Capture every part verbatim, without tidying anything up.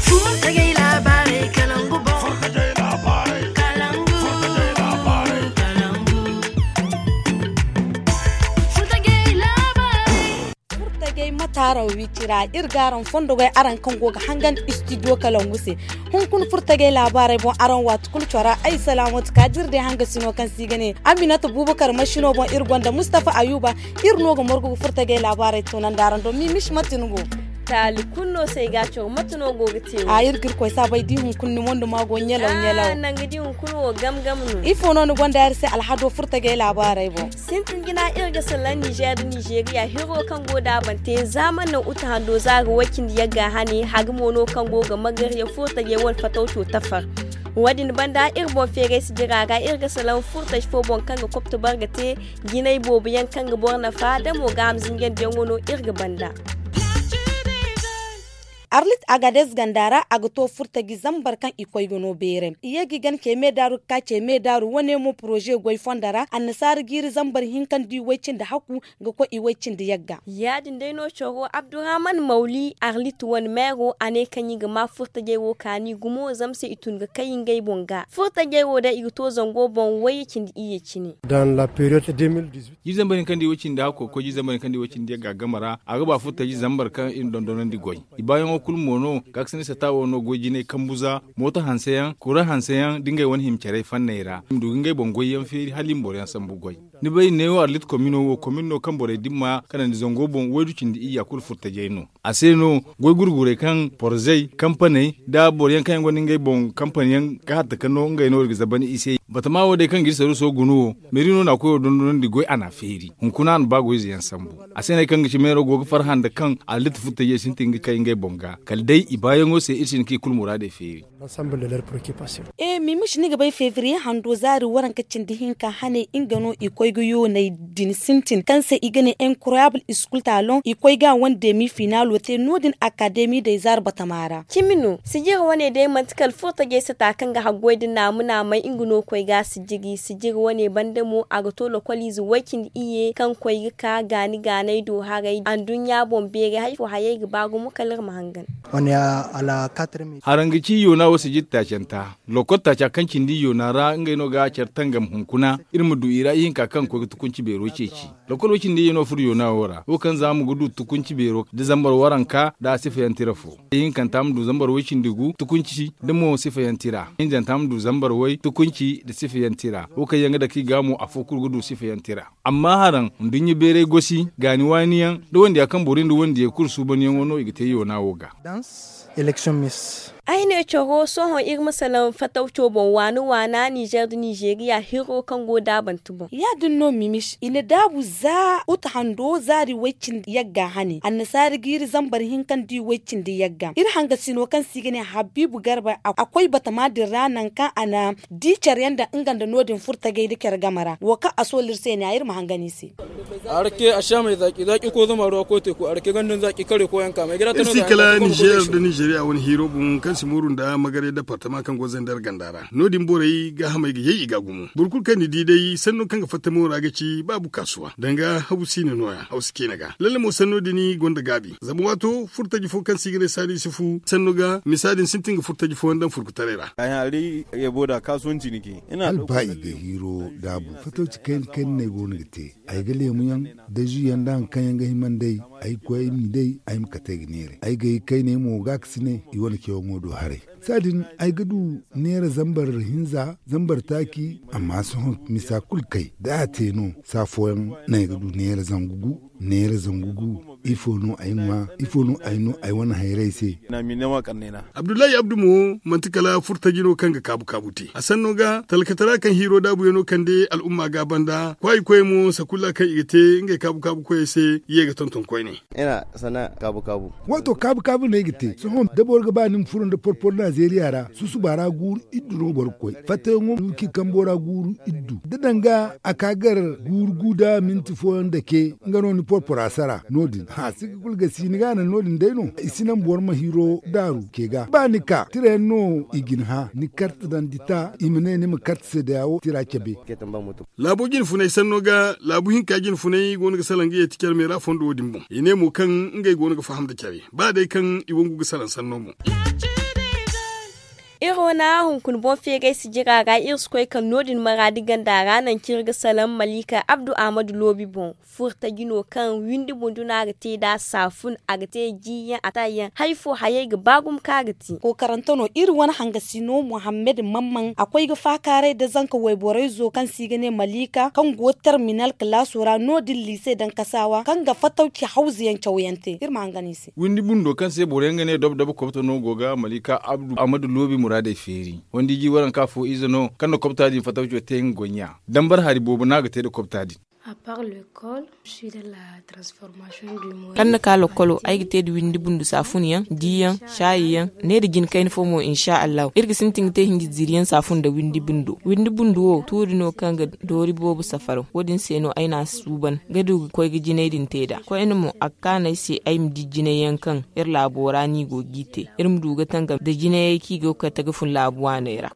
Furtajey laabaarey kalangu boŋ. Furtajey laabaarey. Kalangu. Furtajey laabaarey. Furtajey mataaraw wicira iri ga araŋ fondo goy araŋ kaŋ go ga hangan istidiyo kalangu se. Hunkuna furtajey laabaarey boŋ araŋ waati kulu cora ay salaamatu ka dira day hangasino kaŋ se i ga ne aminata bubakar masino boŋ iri gonda mustapha ayuba. Iri no ga margu ga furtajey laabaarey toonandi araŋ do mimis mate ni go. Taali kulu no se ay ga a caw mate no go ga te wo. A iri ga iri koy saabay da i hunkuna ni mondo ma go ɲalaw ɲalaw. Nangu da i hunkuna wo gam gam no. Ifo no ni gonda iri se alhado furtajey laabaarey boŋ? Sintin jina iri ga salaŋ nizeer da nizeeriya hiro kaŋ go daabante zaamar naŋ uta hando za ga way cindi yagga hane haga mo no kaŋ go ga magar ya furtajey wane fatawco tafar. Wo- din banda iri boŋ feeray si jira ra iri ga salaŋ furtaji fo boŋ kaŋ ga kopto bar ga te jinay boobo yaŋ kaŋ ga boro nafa da mo gaaham zinjandi yaŋo no iri ga banda. Arlit agadez ganda ra a ga to furtaji zambar kaŋ i koy ga no beeray i ye ga i gana ce meedaaru ga ka ce meedaaru wane mo poroze goy fonda ra annasaara jiiri zambar hinka nda i way cindi hakku ga koy i way cindi yagga. Ya- din day no coro abdurrahman mawli arlit wane meero a ne kaŋ i ga ma furtajey wo kaani gumo zama se i tun ga kay ngey boŋ ga furtajey wo day i ga to zango boŋ wayye cindi iyye cine. Jiiri zambar hinka nda i way cindi hakku ga koy jiiri zambar hinka nda i way cindi yagga game ra a ga ba furtaji zambar kaŋ i na dondonandi goy. I baayaŋo kulu mo no gaakasinay sata wo no goy jinay kambu za mooto hanse yaŋ kura hanse yaŋ da ngey wane hima carey fanney ra i ma du ga ngey boŋ goyyaŋ feeri hala i ma boro yaŋ sambu goy. Ni bay neewo arlit komino wo komin no kaŋ borey dimma kanandi zango boŋ waydu cindi iyya kulu furtajey no. A se no goy gurgurey kaŋ porzey kampaney nda boro yaŋ kaŋ yaŋ gonda ngey boŋ kampan yaŋ ga hatta ka no ngey no iri ga zabani i se. Batama wo day kaŋ ga iri saruuso guna wo meeri no na a koyo dondonandi goy a na a feeri hunkuna a na ba goy ize yaŋ sambu. A se no ay kaŋ ga ci meero go ga farhã nda kaŋ allit furtajey sintin ga kay ngey boŋ ga kala day i baayaŋo se iri si hin ka i kulu muraadey feeri. E mimisi ni ga bay febriye hando zaari waranka cindi hinka hane nga no i koy ga yoonay din sintin kaŋ se i ga ne incroyable school talon i koy ga a wane demi finaalo te no- din akademi day zaari batama ra. Cimi no sijiri wane day manti kala furtajey sata kaŋ ga haggoy nda naamu naamey nga no koy ga a sijiri sijiri wane banda mo a ga to lokoliize way- cindi iyye kaŋ koy ga ka gaani gaanay do haray anduɲɲa boŋ beeray hari fo hayey ga ba gumo kala iri ma hangan. Haraŋ ga ci yoona wo sijiri taacanta lokol taaca kaŋ cindi yoona ra ngey no ga care tangam hunkuna iri ma du i ra ihinka kaŋ koy ga tukunci beero ceeci. Lokol way- cindi iyye no furo yoona wo ra wo kaŋ za ma ga du tukunci beero da zambar waranka nda a sifayaŋ tira fo. Ihinkanta ma du zambar way- cindi gu tukunci da mo sifayaŋ tira hinjanta ma du zambar way tukunci nda sifayaŋ tira wo kaŋ yaŋ ga dake i ga mo afo kulu ga du sifayaŋ tira. Amma haraŋ nduɲɲa beeray gosi gaani waani yaŋ nda wandiya kaŋ boro nda wandiya kulu suubanyaŋo no i ga te yoona wo ga. Ay ne coro sohõ iri ma salaŋ fatawco boŋ waana waana nizer nda nizeriya hiro kaŋ go daabante boŋ. Ya- din no mimis i na daabu za uta hando zaari way- cindi yagga hane annasaara jiiri zambar hinka nda i way- cindi yagga iri hangasino kaŋ se i ga ne habiibu garba a koy batama din ra nangu kaŋ a na di care yaŋ daŋ nga nda no- din furtagay nda care game ra wo kaŋ a soolu iri se ne a iri ma hangan i se. Arake a si a may zaaki zaaki ko zama ruwa ko teeku arake ganda nda zaaki kare ko yanka may gida tana zaaki kala nizer nda nizeriya wane hiiro boŋ kaŋ si mooru nda magaray departama kaŋ go zandar ganda ra no- din borey gaahamey ga yay i ga gumo boro kulu kaŋ ni di day sanno kaŋ ga fatta mo ra ga ci baabu kaasuwa danga haw si ne no- ya haw si ciine ga lalle mo sanno din gonda gaabi zama waato furtaji fo kaŋ se i ga ne saani yusufu sanno ga misa din sintin ga furtaji fooyaŋ daŋ furkutaray ra. Alba i ga hiiro daabu fatawci kayna kayna no ay go no ga te. Ay ga leemu yaŋ da zu yaŋ da hari kaŋ yaŋ ga hima nd'ey ay ga koy ay m'i day ay ma kate ay ga neeray ay ga ay kayney mo ga a ga si ne i wane cayaŋo do haray. Saadin ay ga du neera zambar hinza zambar taaci. Amma sohõ misa kulu kay da a te no saa fooyaŋ no ay ga du neera zangu gu neera zangu gu. Ifo no ay ŋwa ifo no ay no ay wane hayray se? Abdullahi abdu mo manti kala furtaji no kaŋ ga kaabu kaabu te a sanno ga talkatara kaŋ hiiro daabuyaŋ no kande al'umma ga banda kwaayi koyey mo sakulla kaŋ i ga te ngey kaabu kaabu koyey se ye ga tonton koyne. Waato kaabu kaabu no ay ga te sohõ da boro ga ba ni ma furo nda porpor nazeriya ra susuba ra guuru iddu no boro ga koy fattayaŋo no ci kambo ra guuru iddu da danga a ka gar guuru gu da minti fooyaŋ dake nga no ni porpora sara no- din. A si ga kulu ga si ni ga a naŋ no- din day no. I si naŋ boro ma hiro daaru ke ga ba ni ka tira yaŋ no i ga ni hã ni karte daŋ dita i ma ne ni ma karte se da yaawo tira cabe. Laabo jinfunay sanno ga laabu hinka jinfunay go no ga salaŋ ga yeeti care meera fondo wo- din boŋ i ne mo kaŋ ngey go no ga faham nda care ba day kaŋ i wangu ga salaŋ sanno boŋ. Iri wane hunkuna boŋ feegay sijira ra iri si koy kaŋ no- din maraadi ganda ra naŋ kaŋ iri ga salaŋ malika abdu ahmadu loobi boŋ. Furtaji no kaŋ windi bundu no a ga te nd'a saafun a ga te jiiyaŋ a taayaŋ hari fo hayey ga ba gumo kaŋ a ga te. Kookarante no iri wane hangasino muhammad mamman a koy ga faakaaray nda zanka wayborayzo kaŋ se i ga ne malika kaŋ go terminal kalaaso ra no- din liise daŋ kasaawa kaŋ ga fatawci hawzayaŋ cawyaŋ te iri ma hangan i se. Windi bundo kaŋ se boro yaŋ ga ne dob dob kobto no go ga malika abdu ahmadu loobi muraadey feeri. Wandiji waranka fo ize no kaŋ na kobta din fatawco te nga goy ɲa. Dambar hari boobo no a ga te nda kobta din. Kaŋ na ka lokkolo ay ga te nda windi bundu saafun yaŋ diiyaŋ, saayi yaŋ, ne nda jina kayna fo mo insa allahu iri ga sintin ga te hinji ziiri yaŋ saafun nda windi bundo. Windi bundu wo tuuri no kaŋ ga doori boobo safaraw wo- din se no ay na a suuban ga du ga koy ga jinay din te nd'a koyne mo a ga kaanu ay se ay ma di jinay yaŋ kaŋ iri laabo ra no i go g'i te. Iri ma du ga tangam nda jinayey kaŋ i go ga kate ga fun laabu waaney ra.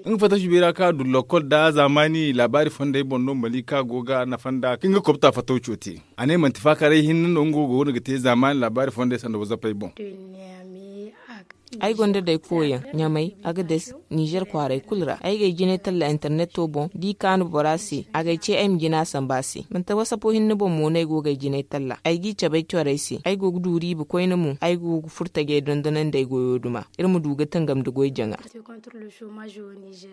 Nga fatawci beera kaŋ a du lokkol nda zaamaani laabaari fondey boŋ no malika go ga nafa nd'a kaŋ ga kobta fatawco te. A ne manti faakaaray hinne no nga wo go no ga te zaamaani laabaari fondey sanda wazappey boŋ. Ay gonda day kooyaŋ ɲamay, agades, nizer kwaaray kulu ra ay g'ay jinay talla interneto boŋ d'i kaanu bora se a g'ay ce ay ma jina samba a se manti wasapo hinne boŋ mo no ay go g'ay jinay talla ay g'i cabe ay corey se ay go ga du riiba koyne mo ay go ga furo tajey dondonandi ay goyo duma. Iri ma du ga tangam nda goy jaŋa.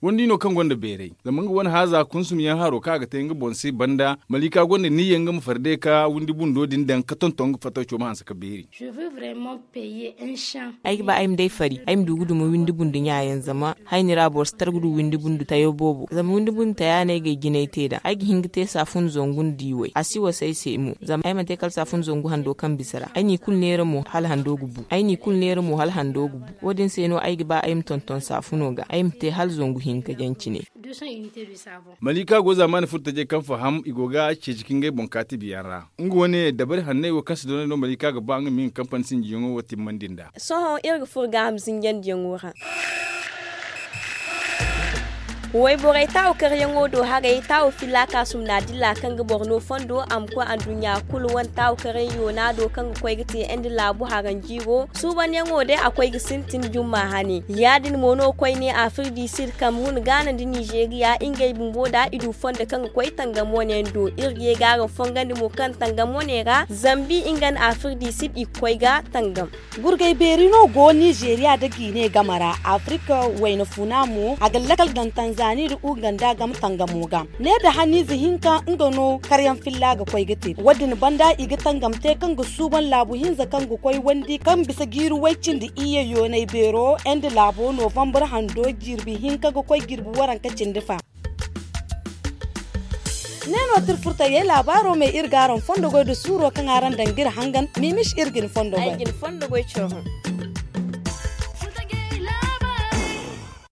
Wandi no kaŋ gonda beeray zama nga wane haaza kunsum yaŋ haro kaŋ a ga te nga boŋ se banda malika gonda niyya nga ma farde ka windi bundo din daŋ ka tonton nga fatawco ma hanse ka beeri. Ay ga ba ay ma day fari ay ma du ga duma windi bundo ɲa yaŋ zama hayni ra boro si tar ga du windi bundo tayo boobo zama windi bundo taya no ay g'ay jinay te nd'a ay ga hin ga te saafun zangu nda diway a si wasa ay se mo zama ay mana te kala saafun zangu hando kaŋ bisa ra ay n'i kulu neera mo hala hando ga bu ay n'i kulu neera mo hala hando ga bu. Wo- din se no ay ga ba ay ma tonton saafuno ga ay ma te hala zangu hinka jaŋ cine. Malika go zaamaani furo tajey kaŋ faham i go ga ceeci ka ngey boŋ kaati biyaŋ ra. Nga wane dabari hanney wo kaŋ si doonay no malika ga ba nga ma nga kampani sinjiyaŋo wo timmandi nd'a. Sohõ iri ga furo gaaham zinjandiyaŋo ra. Wayborey taawu karyaŋo do haray taawu filla kaasum na dilla kaŋ ga boro no fondo a ma koy anduɲɲa kulu wane taawu karyaŋ yoona do kaŋ ga koy ga te nda laabu haranjiiro suubanyaŋo day a koy ga sintin jumma hane ya- din mo no koyne afrik du sid kamerun gaana nda nizeeriya ngey bumbo da i du fondo kaŋ ga koy tangam wane yaŋ do iri ga ye ga araŋ fongandi mo kaŋ tangam wane ra zambi nga nda afrik du sid i ga koy ga tangam. Gurgay beeri no go nizeeriya nda gine game ra afirika wayna funa mo a ga lakal daŋ tanzani nda uganda game tangamo ga. Ne nda haniize hinka nga no karyaŋ filla ga koy ga te wo- din banda i ga tangam te kaŋ ga suuban laabu hinza kaŋ ga koy wandi kaŋ bisa jiiri way cindi iyye yoonay beero nda laabo novambar hando jirbi hinka ga koy jirbi waranka cindi fa. Ne no tirfurtayey laabaaro me iri ga araŋ fondo goy nda suuro kaŋ araŋ daŋ ga iri hangan mimis iri ga ni fondo goy.